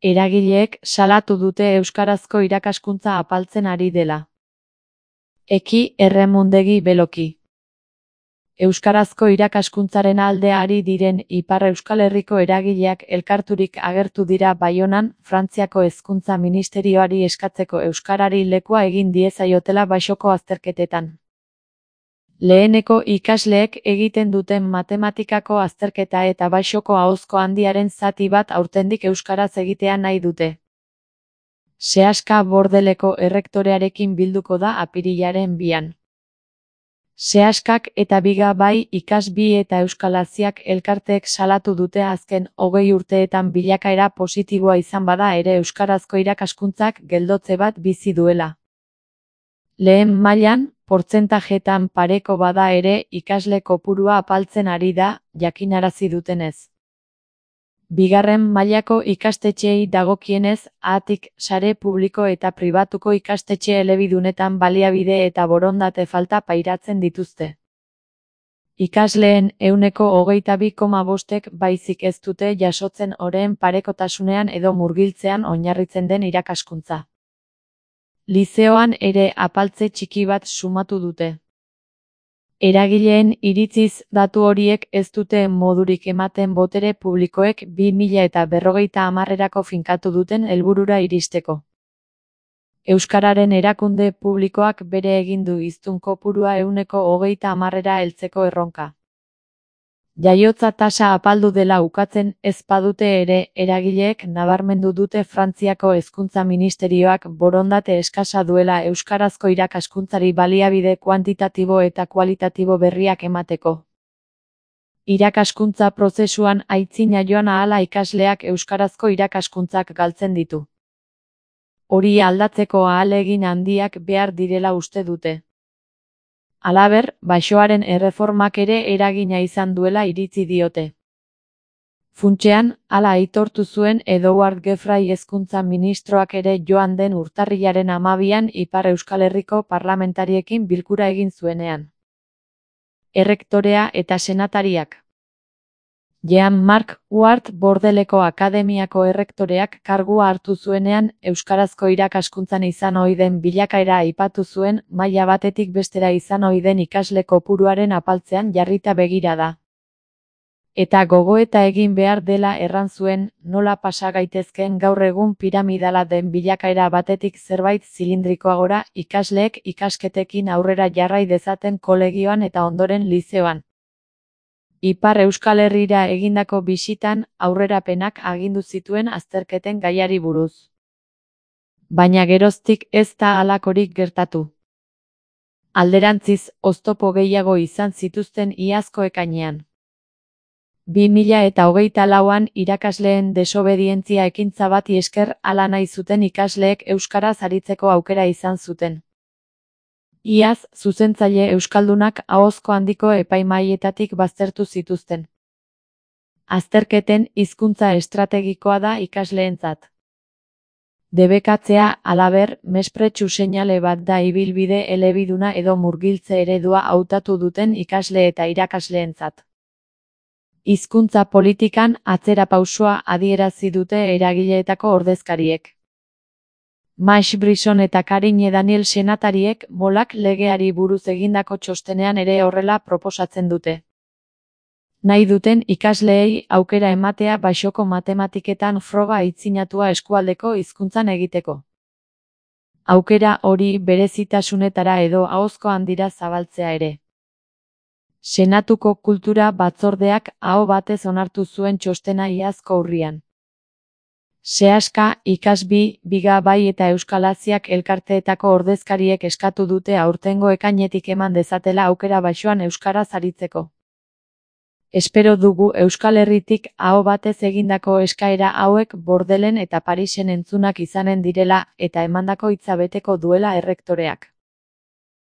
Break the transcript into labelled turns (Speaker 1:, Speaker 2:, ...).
Speaker 1: Eragileek salatu dute euskarazko irakaskuntza apaltzen ari dela. Eki erremundegi beloki. Euskarazko irakaskuntzaren alde ari diren Ipar Euskal Herriko eragileak elkarturik agertu dira Baionan, Frantziako Hezkuntza Ministerioari eskatzeko euskarari lekua egin diezaiotela Baxoko azterketetan. Leheneko ikasleek egiten duten matematikako azterketa eta Baxoko ahozko handiaren zati bat aurtendik euskaraz egitea nahi dute. Seaska Bordeleko errektorearekin bilduko da apirilaren 2an. Seaskak eta Biga bai Ikasbi eta Euskalaziak elkarteek salatu dute azken 20 urteetan bilakaera positiboa izan bada ere euskarazko irakaskuntzak geldotze bat bizi duela. Lehen mailan, portzentajetan pareko bada ere ikasle kopurua apaltzen ari da, jakinarazi dutenez. Bigarren mailako ikastetxeei dagokienez, ahatik sare publiko eta pribatuko ikastetxe elebidunetan baliabide eta borondate falta pairatzen dituzte. Ikasleen 22,5%ek baizik ez dute jasotzen oreen parekotasunean edo murgiltzean oinarritzen den irakaskuntza. Lizeoan ere apaltze txiki bat sumatu dute. Eragileen iritziz datu horiek ez dute modurik ematen botere publikoek 2050erako finkatu duten helburura iristeko. Euskararen erakunde publikoak bere egin du hiztun kopurua 20%era heltzeko erronka. Jaiotza tasa apaldu dela ukatzen ez badute ere eragileek nabarmendu dute Frantziako Hezkuntza Ministerioak borondate eskasa duela euskarazko irakaskuntzari baliabide kuantitatibo eta kualitatibo berriak emateko. Irakaskuntza prozesuan aitzina joan ahala ikasleak euskarazko irakaskuntzak galtzen ditu. Hori aldatzeko ahalegin handiak behar direla uste dute. Halaber, Baxoaren erreformak ere eragina izan duela iritzi diote. Funtsean, hala aitortu zuen Edouard Geoffroy hezkuntza ministroak ere joan den urtarrilaren 12an Ipar Euskal Herriko parlamentariekin bilkura egin zuenean. Errektorea eta senatariak. Jean-Marc Huart Bordeleko Akademiako errektoreak kargua hartu zuenean euskarazko irakaskuntzan izan ohi den bilakaera aipatu zuen maila batetik bestera izan ohi den ikasle kopuruaren apaltzean jarrita begira da. Eta gogoeta egin behar dela erran zuen, nola pasa gaitezkeen gaur egun piramidala den bilakaera batetik zerbait zilindrikoagora ikasleek ikasketekin aurrera jarrai dezaten kolegioan eta ondoren lizeoan. Ipar Euskal Herrira egindako bisitan aurrerapenak agindu zituen azterketen gaiari buruz. Baina geroztik ez da halakorik gertatu. Alderantziz, oztopo gehiago izan zituzten iazko ekainean. 2024an irakasleen desobedientzia ekintza bati esker hala nahi zuten ikasleek euskaraz aritzeko aukera izan zuten. Iaz, zuzentzaile euskaldunak ahozko handiko epaimahaietatik baztertu zituzten. Azterketen hizkuntza estrategikoa da ikasleentzat. Debekatzea, halaber, mespretxu seinale bat da ibilbide elebiduna edo murgiltze eredua hautatu duten ikasle eta irakasleentzat. Hizkuntza politikan atzerapausoa adierazi dute eragileetako ordezkariek. Max Brisson eta Karine Daniel senatariek molak legeari buruz egindako txostenean ere horrela proposatzen dute. Nahi duten ikasleei aukera ematea Baxoko matematiketan froga aitzinatua eskualdeko hizkuntzan egiteko. Aukera hori berezitasunetara edo ahozko handira zabaltzea ere. Senatuko Kultura Batzordeak aho batez onartu zuen txostena iazko urrian. Seaska, Ikasbi, Biga bai eta Euskalaziak elkarteetako ordezkariek eskatu dute aurtengo ekainetik eman dezatela aukera Baxoan euskaraz aritzeko. Espero dugu Euskal Herritik aho batez egindako eskaera hauek Bordelen eta Parisen entzunak izanen direla eta emandako hitza beteko duela errektoreak.